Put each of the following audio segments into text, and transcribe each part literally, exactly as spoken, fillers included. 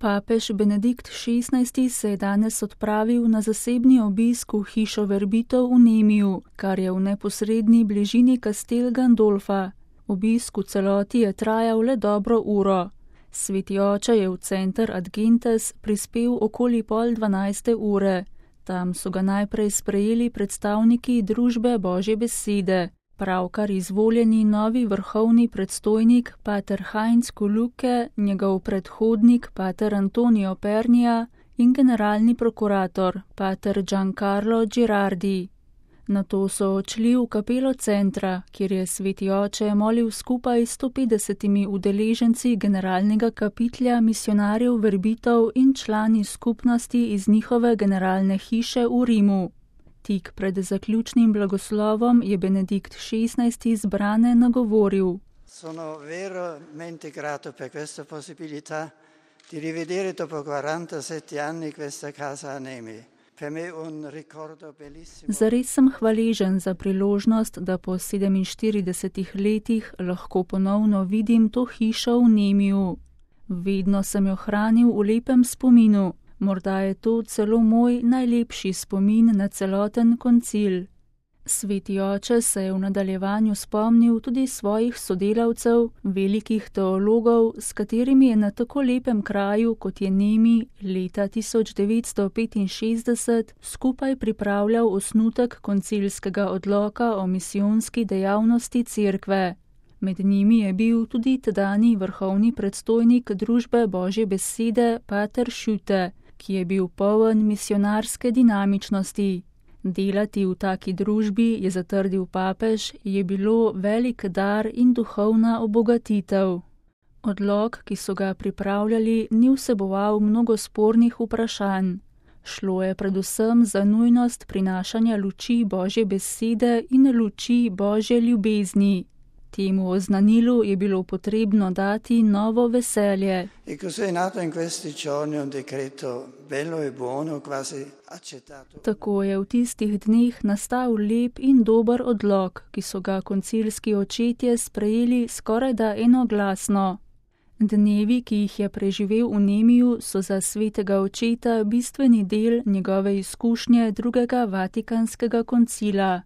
Papež Benedikt šestnajsti se je danes odpravil na zasebni obisk v hišo verbitov v Nemiju, kar je v neposredni bližini Castel Gandolfa. Obisk v celoti je trajal le dobro uro. Sveti oče je v center Ad Gentes prispel okoli pol dvanajste ure. Tam so ga najprej sprejeli predstavniki družbe Božje besede, pravkar izvoljeni novi vrhovni predstojnik pater Heinz Kuluke, njegov predhodnik pater Antonio Pernija in generalni prokurator pater Giancarlo Girardi. Nato so odšli v kapelo centra, kjer je sveti oče molil skupaj s sto petdesetimi udeleženci generalnega kapitlja misionarjev verbitov in člani skupnosti iz njihove generalne hiše v Rimu. Tik pred zaključnim blagoslovom je Benedikt šestnajsti zbrane nagovoril. Sono veramente grato per questa possibilità di rivedere dopo quarantasette anni questa casa a Nemi. Zares sem hvaležen za priložnost, da po sedeminštiridesetih letih lahko ponovno vidim to hišo v Nemiju. Vedno sem jo hranil v lepem spominu, morda je to celo moj najlepši spomin na celoten koncil. Sveti oče se je v nadaljevanju spomnil tudi svojih sodelavcev, velikih teologov, s katerimi je na tako lepem kraju, kot je Nemi, leta tisoč devetsto petinšestdeset skupaj pripravljal osnutek koncilskega odloka o misijonski dejavnosti cerkve. Med njimi je bil tudi tedanji vrhovni predstojnik družbe Božje besede pater Šute, ki je bil poln misionarske dinamičnosti. Delati v taki družbi, je zatrdil papež, je bilo velik dar in duhovna obogatitev. Odlok, ki so ga pripravljali, ni vseboval mnogo spornih vprašanj. Šlo je predvsem za nujnost prinašanja luči Božje besede in luči Božje ljubezni. Temu oznanilu je bilo potrebno dati novo veselje. Tako je v tistih dneh nastal lep in dober odlok, ki so ga koncilski očetje sprejeli skorajda enoglasno. Dnevi, ki jih je preživel v Nemiju, so za svetega očeta bistveni del njegove izkušnje drugega vatikanskega koncila.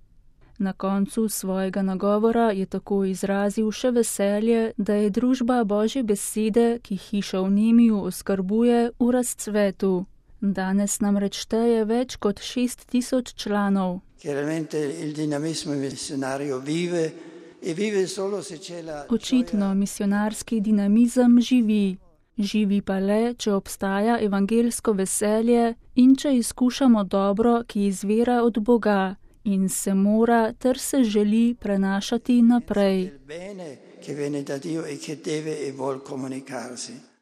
Na koncu svojega nagovora je tako izrazil še veselje, da je družba Božje besede, ki hišo v Nemiju oskrbuje, v razcvetu. Danes namreč šteje več kot šest tisoč članov. Očitno misionarski dinamizem živi. Živi pa le, če obstaja evangelsko veselje in če izkušamo dobro, ki izvira od Boga. In se mora ter se želi prenašati naprej.